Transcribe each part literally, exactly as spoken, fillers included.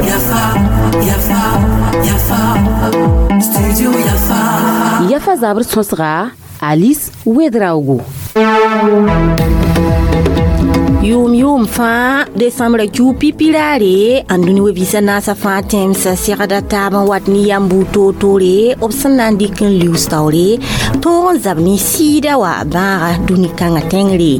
Yafa, Yafa, Yafa, Studio Yafa. Yafa zabr sõsga Alice Ouedraogo. Yʋʋm yʋʋm fãa desãmbra kiu pipiraare n dũni we-biisã naasã fãa tẽmsã segda taab n wat ne yam buud toor-toore b sẽn na n dɩk n liuus taoore tõog n zab ne sɩɩda wã bãaga dũni kãngã tẽngre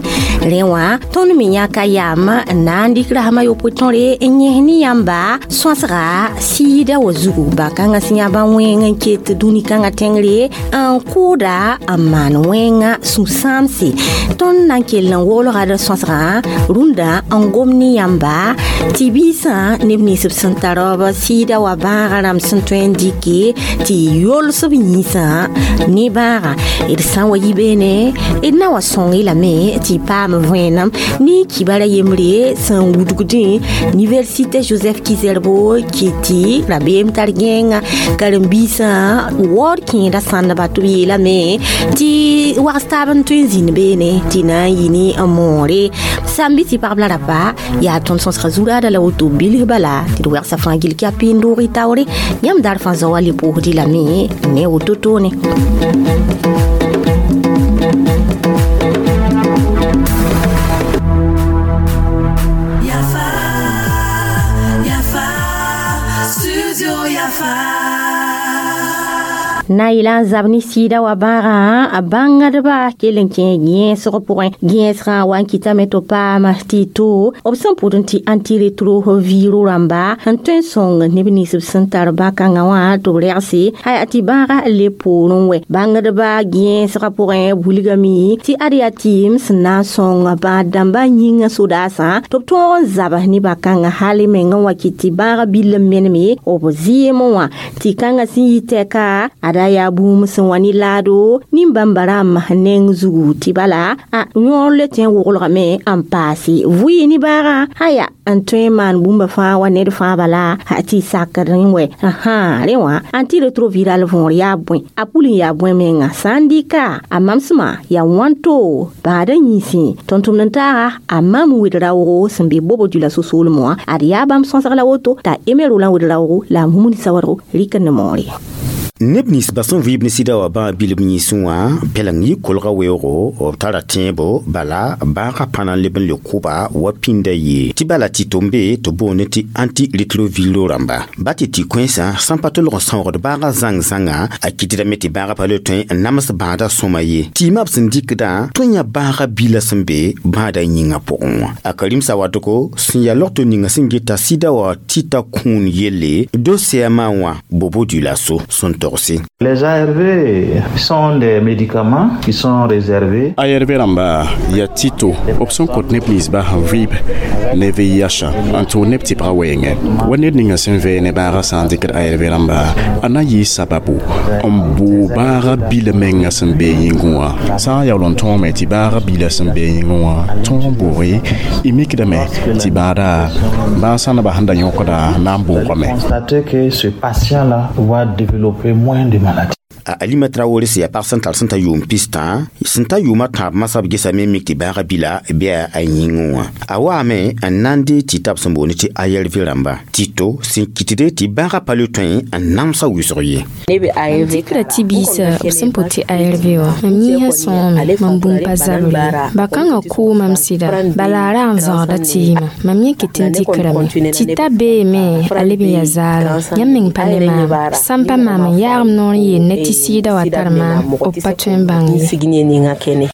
rẽ wã tõnd me yãka yam n na n dɩk rasem a yopoe tõre n yẽs ne yãmba sõsga sɩɩda wã zugu bã-kãngã sẽn yã bã-wẽng n ket dũni kãngã tẽngre n kʋʋda n maan wẽnga sũ-sãamse tõnd na n kell n woolga d sõsgã rũndã n gom ne yãmba tɩ biisã neb nins b sẽn tar b sɩɩda wã bãagã rãmb sẽn tõe n dɩke tɩ yols b yĩnsã ne bãaga d sã n wa yi beene d na wa sõng-y lame tɩ y paam vẽenem ne kibara yembre sẽn wudgdẽ Université Joseph Ki-Zerbo kɩ tɩ rabeem tar gẽenga karen-biisã waood kẽeda sãndba tɩ b yeelame tɩ wags taab n tõe n zĩnd beene tɩ na n yɩ ne n moore sãn bɩ tɩ pagb la rapa yaa tõnd sõsga zuraada la woto bilf bala tɩ d wɛgsa fãa gill kɩ a pɩɩn doog y taoore yãmb daar fãa zao wa le pʋʋsd-y lame ne woto toone. Yafa, Yafa, Studio Yafa. Na yɩla n zab ne sɩɩda wã bãagã a bãngdba kell n kẽ gẽesg pʋgẽ gẽesgã wa n kɩtame tɩ paam tɩ to b sẽn pʋd n tɩ antirétroviro rãmba n tõe n sõng neb nins b sẽn tar bã-kãngã wã tɩ b rɛgse aya tɩ bãagã le poorẽ wɛ bãngdba gẽesgã pʋgẽ wilgame tɩ ad yaa tɩɩm sẽn na n sõng bãad dãmbã yĩngã sodaasã tɩ b tõog n zab ne bã-kãngã hal meng n wa kɩt tɩ bãagã bill n meneme b zɩɩmẽ wã tɩ kãngã sẽn yɩ tɛka ad yaa bũmb sẽn wa ne laado nin-bãmba rãmb neng zugu tɩ bala a yõor le tẽ woglgame n paase vʋɩ ne bãagã aya n tõe n maan bũmba fãa wa ned fãa bala tɩ sakd n wɛ ãhã rẽ wã antiretroviral võor yaa bõe a pul n yaa bõe menga sã n dɩka a mamsmã yaa wãnto bãadã yĩnsẽ tõnd-tʋmd n taaga a mam wed-raoogo sẽn be bobo dula so-soolmẽ wã ad yaa bãmb sõsg la woto t'a Emerolã wed-raoogo la a Mumuni Sawadgo rɩk n ne moore. Neb nins ba sẽn vɩɩb ne sɩda wã bãag bilb yĩnsẽ wã pɛleng yɩ kolga weoogo b tara tẽebo bala bãagã pa na n leb n le kʋba wa pĩnda ye tɩ bala tɩ tʋm be tɩ boond tɩ antirétroviro rãmba ba tɩ tɩ kõensã sãn pa tolg n sãoogd bãagã zãng-zãnga a kɩtdame tɩ bãagã pa le tõe n nams bãadã sõma ye tɩɩmã b sẽn dɩkdã tõe n yã bãagã bila sẽn be bãadã yĩngã pʋgẽ wã a Karim Sawadogo sẽn yaa logto ninga sẽn geta sɩda wã tɩ ta kũun yelle dossier-mã wã Bobo Dioulasso sẽn tog. Les A R V sont des médicaments qui sont réservés. A R V rãmba yaa tɩto b sẽn kõt neb ninsba sẽn vɩɩb ne V I H n tʋʋg neb tɩpga wɛɛngẽ wa ned ninga sẽn vɛɛ ne bãagã sã n dɩkd A R V rãmba a na n yɩɩ sababu n bʋʋ bãagã bila menga sẽn bee yĩngẽ wã sã n yaool n tõome tɩ bãagã bila sẽn bee yĩngẽ wã tõog n bʋʋge y mikdame tɩ bãada bãag sãndbã sẽn da yõkda na n bʋʋgame. Constater que ce patient-là va développer moins de maladies. A Alima Traoré sẽn yaa pag sẽn tar sẽn ta yʋʋm pistã sẽn ta yʋʋmã tãab masã b gesame mik tɩ bãagã bila bɩ a yĩngẽ wã a waame n na n dee tɩ tab sẽn boond tɩ A R V rãmba tɩ to sẽn kɩtde tɩ bãagã pa le tõe n namsa wʋsg ye. Dɩkra tɩ biisã b sẽn pʋd tɩ A R V wã mam yĩnsã sõome mam bũmb pa zabr ye ba-kãngã kʋʋ mam sɩda bala a rag n zãgda tɩɩmã mam yẽ kɩt n dɩkrame tɩ ta beeme a leb n yaa zaalem yãmb meng pa ne maam sãn pa maam n yaagm noor n yeel ne tɩ sɩɩda wa tar maam b pa tõe n bãng ye.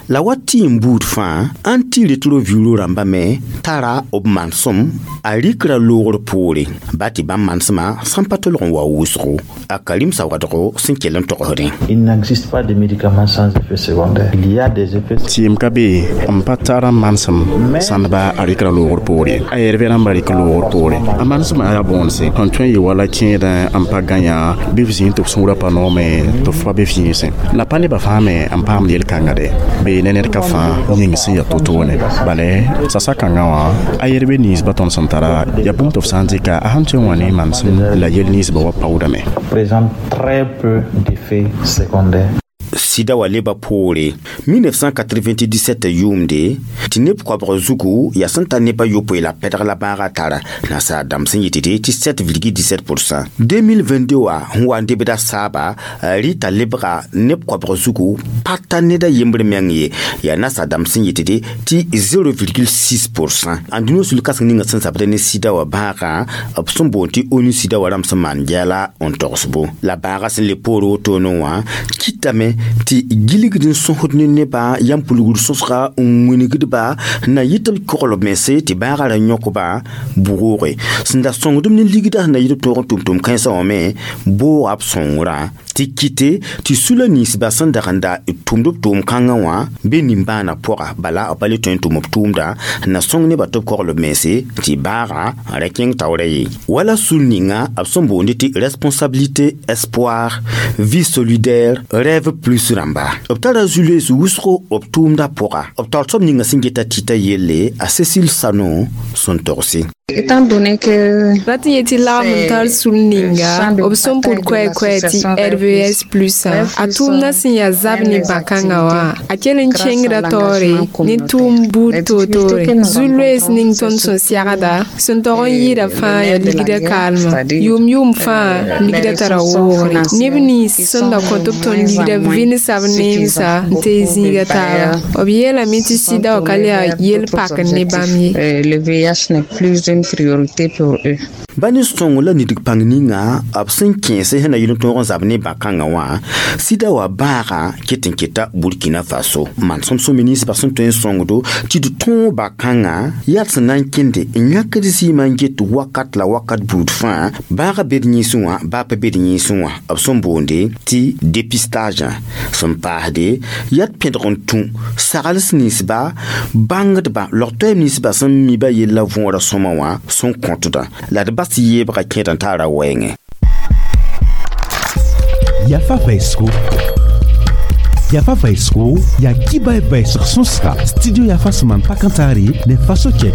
La wa tɩ n buud fãa antirétroviro rãmba me tara b manesem a rɩkra loogr poore ba tɩ bãmb manesmã sãn pa tolg n wa wʋsgo a Karim Sawadgo sẽn kell n togsdẽ. Il n'existe pas de médicaments sans effet secondaire. Il y a des effets. Tɩɩm ka be n pa tar n manesem sãndba a rɩkra loogr poore a R V rãmba rɩk loogr poore a manesmã yaa bõonse sẽn tõe n yɩ wala kẽedã n pa gã yã bɩ f zĩig tɩ f sũurã pa noome tɩ f pa be f yĩnsẽ la pa nebã fãa me n paamd yel-kãnga de bee ne ned ka fãa yĩng sẽn yaa to-toone bala sasa kãngã wã a R V ninsbã tõnd sẽn tara yaa bũmb tɩ f sã n dɩka a sẽn tõe n wã ne manesem la yel ninsbã wa paoodame. Présente très peu d'effets secondaires. Sɩda Sɩda wa leba poore mille neuf cent quatre-vingt-dix-sept yʋʋmde tɩ neb koabg zugu yaa sẽn ta neb a yopoe la pɛdg la bãagã tara nasaar dãmb sẽn yetɩ tɩ sept virgule dix-sept pour cent. deux mille vingt-deux wã sẽn wa n debda saaba rɩta lebga neb koabg zugu pa ta ned a yembr meng ye, yaa nasaar dãmb sẽn yetɩ tɩ zéro virgule six pour cent. Ãndũniyã sul kãseng ninga sẽn zabd ne sɩda wã bãagã, b sẽn boond tɩ ONU sɩda wã rãmb sẽn maan gɛɛla n togsbo la bãagã sẽn le poor wotone wã kɩtame tɩ gilgd n sõsd ne nebã yãmb pulgd sõsga n wingdba na yɩ tɩ b kogl b mense tɩ bãagã ra yõkba bʋgooge sẽn da sõngdb ne ligda sẽn na yɩ b tõog n tʋm-tʋm kãensã wã me booga b sõngrã tɩ kɩte tɩ sula ninsbã sẽn dag n da tʋmd b tʋʋm kãngã wã be nimbãanã pʋga bala b pa le tõe n tʋm b tʋʋmda n na sõng nebã tɩ b kogl b mense tɩ bãagã n ra kẽng taoorã ye wala sul ninga b sẽn boonde tɩ responsabilité, espoir, vie solidaire, rêve plus rãmba. B tara zu-loees wʋsgo b tʋʋmdã pʋga. B taoor soab ninga sẽn geta tɩta yelle a Cécile Sano sẽn togse. Étant donné que Rat n yetɩ lagm n tar sul ninga b sẽn pʋd koɛ-koɛ tɩ R V S plus a tʋʋmdã sẽn yaa zab ne bã-kãngã wã a kell n kẽngda taoore ne tʋʋm buud toor-toore. Zu-loees ning tõnd sẽn segda sẽn tog n yɩɩda fãa yaa ligdã kaalmã yʋʋm-yʋʋm fãa ligdã tara woogre neb nins sẽn da kõ tɩ b tõnd ligdã vɩnsa b neemsa n tee zĩiga taaba. B yeelame tɩ sɩda wã ka le yaa yel pakr ne bãmb ye. Le V I H n'est plus une priorité pour eux. Ba ne sõng la nidg pãng ninga b sẽn kẽese sẽn na yɩl n tõog n zab ne bã-kãngã wã sɩda wã bãagã ket n keta Burkina Faso manesem sõme ninsbã sẽn tõe n sõngdo tɩ d tõog bã-kãngã yaa d sẽn na n kẽnde n yãkd zɩɩmã n get wakat la wakat buud fãa bãagã bed yĩnsẽ wã baa pa bed yĩnsẽ wã b sẽn boonde tɩ dépistage sẽn paasde yaa d pẽdg n tũ sagls ninsba bãngdba log-toɛɛm ninsbã sẽn mi ba yella võorã sõma wã sẽn kõtdã la d bas yeebga kẽed n taara wɛɛngẽ. Yafa vɛɛsgo, yafa vɛɛsgo yaa kiba vɛɛsg sõsga studio Yafa sẽn maan pak n taare ne Faso Chɛk.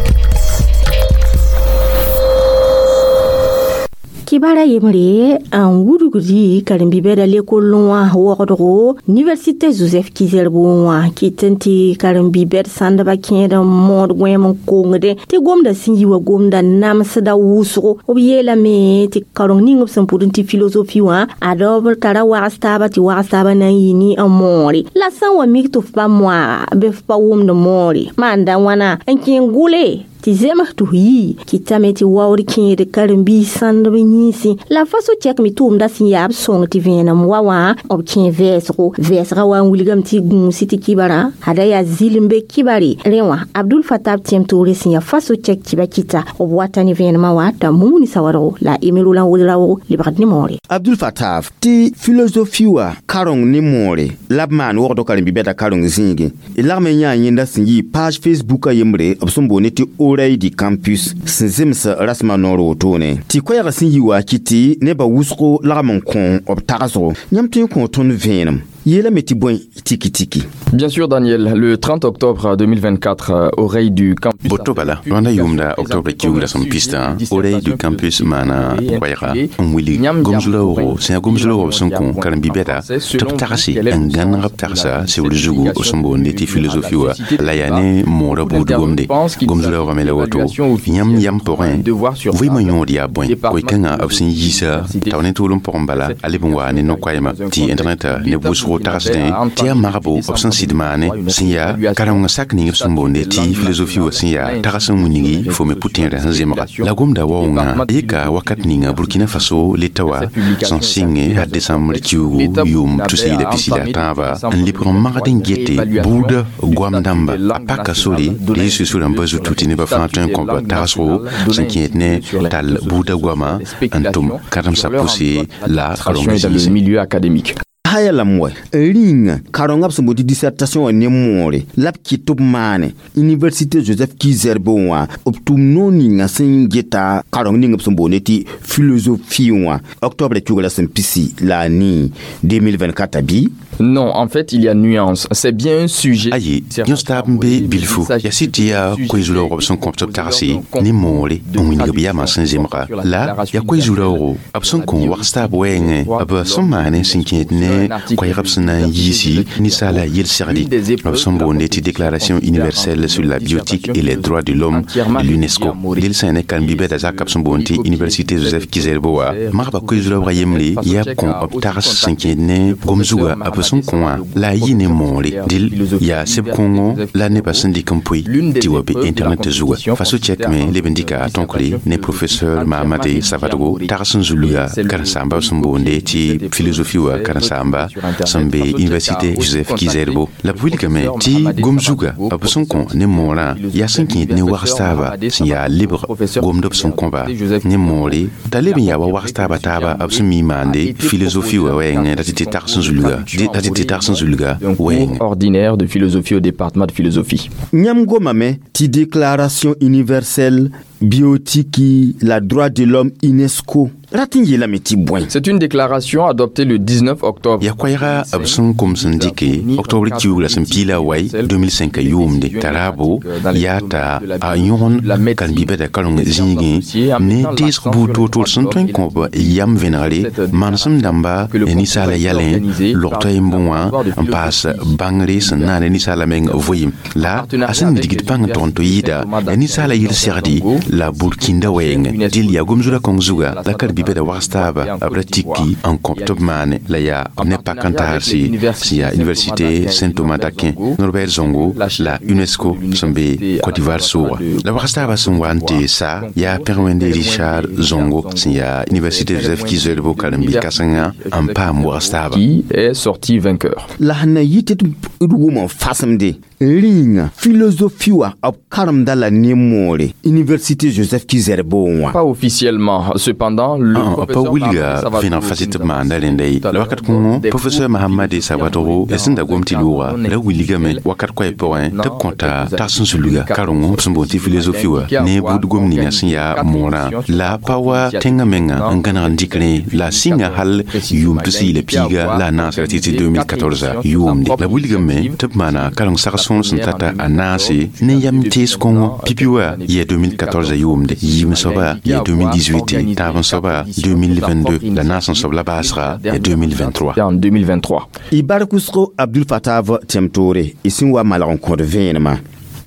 Kibara yembre n wudgdi karen-bi-bɛda lekol wã wogdgo Université Joseph Ki-Zerbo wã kɩt n tɩ karen-bi-bɛd sãndbã kẽed n mood gõeem n kongdẽ tɩ gomda sẽn yi wa gomda namsda wʋsgo. B yeelame tɩ kareng ning b sẽn pʋd n tɩ philosophie wã ad b tara wags taaba tɩ wags taaba na n yɩ ne n moore la sã n wa mik tɩ f pa moaga bɩ f pa wʋmd moore maanda wãna n kẽ gʋle tɩ zems tɩ f yi kɩtame tɩ waood kẽed karen-biis sãndb yĩnsẽ la Faso chɛk me tʋʋmda sẽn yaa b sõng tɩ vẽenem wa wã b kẽ vɛɛsgo vɛɛsgã wa n wilgame tɩ gũusi tɩ kibara ada yaa zɩlem be kibare rẽ wã Abdul Fatab tẽm toore sẽn yaa Faso chɛk tɩ kɩta b wata ne vẽenemã wa t'a mumuni sawadgo la emero la n wʋl raoogo lebgd ne moore. Abdul Fatab, tɩ philosophie wã kareng ne moore la b maan wogd karen-bi-bɛda kareng zĩigẽ d lagm n yãa yẽnda sẽn yɩ page Facebook a yembre b sẽn boonde tɩ Oreille du campus sẽn zems rasmã noor wotone tɩ koɛɛgã sẽn yi wa kɩ tɩ nebã wʋsgo lagm n kõ b tagsgo yãmb tõe n kõ tõnd vẽenem yeelame tɩ bõe tiki tiki. Bien sûr, Daniel, le trente octobre deux mille vingt-quatre, Oreille du campus. Boto bala rõnda yʋʋmda octobre kiugra sẽn pistã Oreille du campus maana koɛɛga n wilg gom-zulaoogo sẽn yaa gom-zulaoog b sẽn kõ karen-bi-bɛda tɩ b tagse n gãneg b tagsa sebr zugu b sẽn boonde tɩ philosophie wa la yaa ne moorã buud gomde gom-zulaoogã me la woto yãmb yam pʋgẽ vɩɩmã yõod yaa bõe koe-kãngã b sẽn yiisa tao ne tʋʋlem pʋgẽ bala a leb n waa ne no-koɛɛmã tɩ internet ne wʋsgo tagsdẽ tɩ yaa magbo b sẽn sɩd maane sẽn yaa kareng sak ning b sẽn boonde tɩ philosophie wa sẽn yaa tags n wilgi fo me pʋ-tẽedã sẽn zemga la gomda waoongã yeka wakat ninga Burkina Faso leta wa sẽn sɩnge a décembre kiugu yʋʋm tus-yi la pisi la tãaba n lebg n magd n gete buudã goam dãmba a paka sore dee susã rãmbã zutu tɩ nebã fãa tõe n kõba tagsgo sẽn kẽed ne tall buudã goama n tʋm karen-samsã pʋse la dans le milieu académique. Haya lam wa rĩnga karengã b sẽn boond tɩ dissertation wã ne moore la b kɩt tɩ b maane Université Joseph Ki-Zerbo wã b tʋm noor ninga sẽn geta kareng ning b sẽn boonde tɩ philosophie wã octobre kiugra sẽn pisi la a nii deux mille vingt-quatre bɩ. Non, en fait, il y a nuance. C'est bien un sujet. Ayi, yõs taab n be bilfu yaa sɩd tɩ yaa koe-zu-raoog b sẽn kõ tɩ b tagse ne moore n wilg b yamã sẽn zemga la yaa koe-zu-raoogo b sẽn kõ wags taab wɛɛngẽ b sẽn maane sẽn kẽed ne ne koɛɛg b sẽn na n yiisi ninsaala yel-segdi b sẽn boonde tɩ déclaration universelle sur la bioéthique et les droits de l'homme de l'UNESCO. Del sã ne karen-bi-bɛda zaka b sẽn boond tɩ université Joseph Ki-Zerbo wã magba koe-zulabga yembre yaa b kõ b tags sẽn kẽed ne gom zuga b sẽn kõ wã la a yɩ ne moore dɩl yaa seb kõngo la nebã sẽn dɩk n pʋɩ tɩ wa be internet zuga. Faso chɛkme leb n dɩka a tõkre ne professeur Mahamade Savadogo tags n zulga karen-saamba b sẽn boonde tɩ philosophie wã karen-saamba sẽn be université Joseph Ki-Zerbo la b wilgame tɩ gom zuga b sẽn kõ ne moorã yaa sẽn kẽed ne wags taaba sẽn yaa lebg gomd b sẽn kõba ne moore t'a leb n yaa wa wags taaba taaba b sẽn mi maande philosophie wã wɛɛngẽ la tɩ tɩ tags n zulga la tɩ tɩ tags n zulga wɛɛngẽ. Ordinaire de philosophie au département de philosophie. Yãmb gomame tɩ déclaration universelle bioéthique la droit de l'homme UNESCO rat n yeelame tɩ bõe. C'est une déclaration adoptée le dix-neuf octobre. Yaa koɛɛga b sẽn kom sẽn dɩke octobre kiuug la sẽn piila wai deux mille cinq yʋʋmde t'a raabo yaa t'a a yõgen karen-bi-bɛda kareng zĩigẽ ne teesg buud toor-toor sẽn tõe n kõb yam vẽnegre manesem dãmba ninsaala yalẽ log toa yembẽ wã n paas bãngre sẽn naane ninsaala meng vɩɩm la a sẽn digd bãng tʋg n tɩ yɩɩda yaa ninsaala yel-segdi la burkinda wɛɛngẽ. Dɩl yaa gom-zura kõng zuga la karen-bi-bɛda wags taaba b ra tiki n kõb tɩ b maane la yaa ne pak n tagsɩ sẽn yaa université Saint Thomas d'Aquin Norbert Zongo la UNESCO sẽn be Côte d'Ivoire sʋʋga la wags taaba sẽn wa n tɩ sa yaa pẽg wẽnde Richard Zongo sẽn yaa université Joseph Ki-Zerbo karen-bi-kãsenga n paam wags taaba. Qui est sorti vainqueur. La sẽn na yɩ tɩ d wʋm n fasемde rĩnga philosophie wã b karemda la ne moore université Joseph Ki-Zerbo wã. Pas officiellement. Cependant, le pa wilga vẽneg fas tɩ b maanda rẽnda ye la wakat kõngo professeur Mahamade Sawadogo sẽn da gom tɩ looga ra wilgame wakat koɛɛ pʋgẽ tɩ b kõta tags n zulga karengo b sẽn boond tɩ philosophie wã ne buud gom ninga sẽn yaa moorã la pa wa tẽngã menga n gãneg n dɩk rẽ la sɩnga hal yʋʋm tus-y la piiga la a naasra tɩ tɩ deux mille quatorze yʋʋmde la wilgame tɩ b maana kareng sag sõor sẽn tata a naase ne yam tees kõngo pipi wã yɛ deux mille quatorze yʋʋmde yiim soaba yɛ deux mille dix-huit tãab n soaba deux mille vingt-deux la naas n soab la baasga yɛ deux mille vingt-trois. En deux mille vingt-trois. Y bark wʋsgo Abdul Fatav tẽm toore y sẽn wa malg n kõd vẽenemã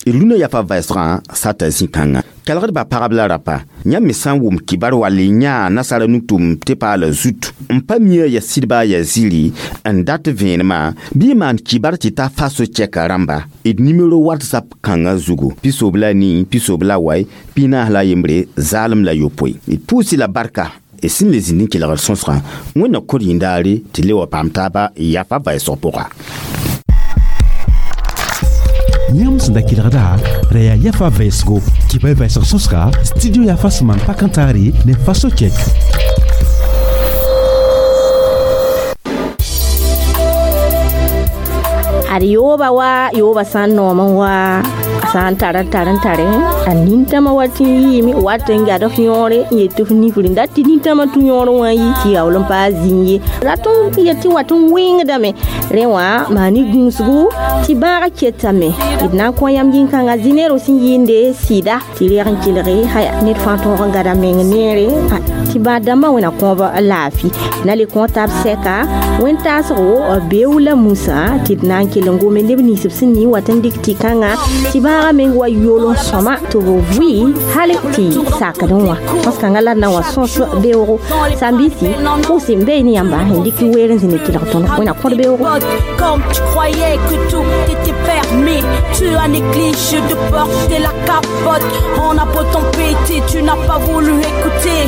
y rũnã yafa vɛɛsgã sata zĩ-kãngã kelgdba pagb la rapa yãmb me sã n wʋm kibar wall y yãa nasara nugtʋm tɩ paala zut n pa mia ya sɩdba ya zĩri n dat vẽenemã bɩ y maan kibar tɩ ta faso chɛka rãmba d nimero WhatsApp kãngã zugu pisob la nii pisob la wai pinaas la yembre zaalem la yopoe d pʋʋsɩ la barka y sẽn le zĩnd n kelgd sõsgã wẽnna kõt yĩndaare tɩ le wa paam taaba yafa vɛɛsg pʋga. Yãmb sẽn da kelgda ra yaa yafa vɛɛsgo kɩba y vɛɛsg sõsga studio yafa sẽn maan pak n taare ne faso chɛk. Ad yooba wa yooba sã n noom n wa sã n tar n tar n tare a nintãmã wa tɩ n yɩɩme wat n gad f yõore n yet tɩ f nifr n dat tɩ nintãmã tũ yõor wã yi tɩ yaool n paa zĩig ye rat n yet tɩ wat n wẽngdame rẽ wã maa ne gũusgu tɩ bãagã ketame d na n kõ yam yĩn-kãngã zĩ-neer sẽn yɩɩnde sɩda tɩ reg n kelge haya ned fãa tõog n gada meng neere tɩ bãad dãmbã wẽna kõob laafɩ na le kõ tab sɛka wẽn-taasgo beoog la musã tɩ d na n kell n gome neb nins b sẽn ning wat n dɩk tɩ-kãngã tɩ bãagã meng wa yol n sõma tɩ b vʋɩ hal tɩ sakd n wã sõs-kãngã la d na n wa sõs beoogo sãn-biisi pʋʋs n bee ne yãmba n dɩk weer n zĩnd kelg tõnd wẽna kõd beoogo. Comme tu croyais que tout était permis, tu as négligé de porter la capote. On a beau t'embêter, tu n'as pas voulu écouter.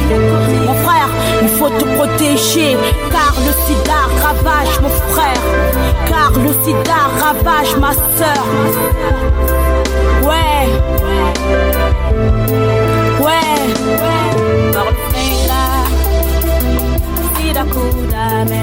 Mon frère, il faut te protéger, car le sida ravage mon frère, car le sida ravage ma sœur. Ouais, ouais. Sida kudame.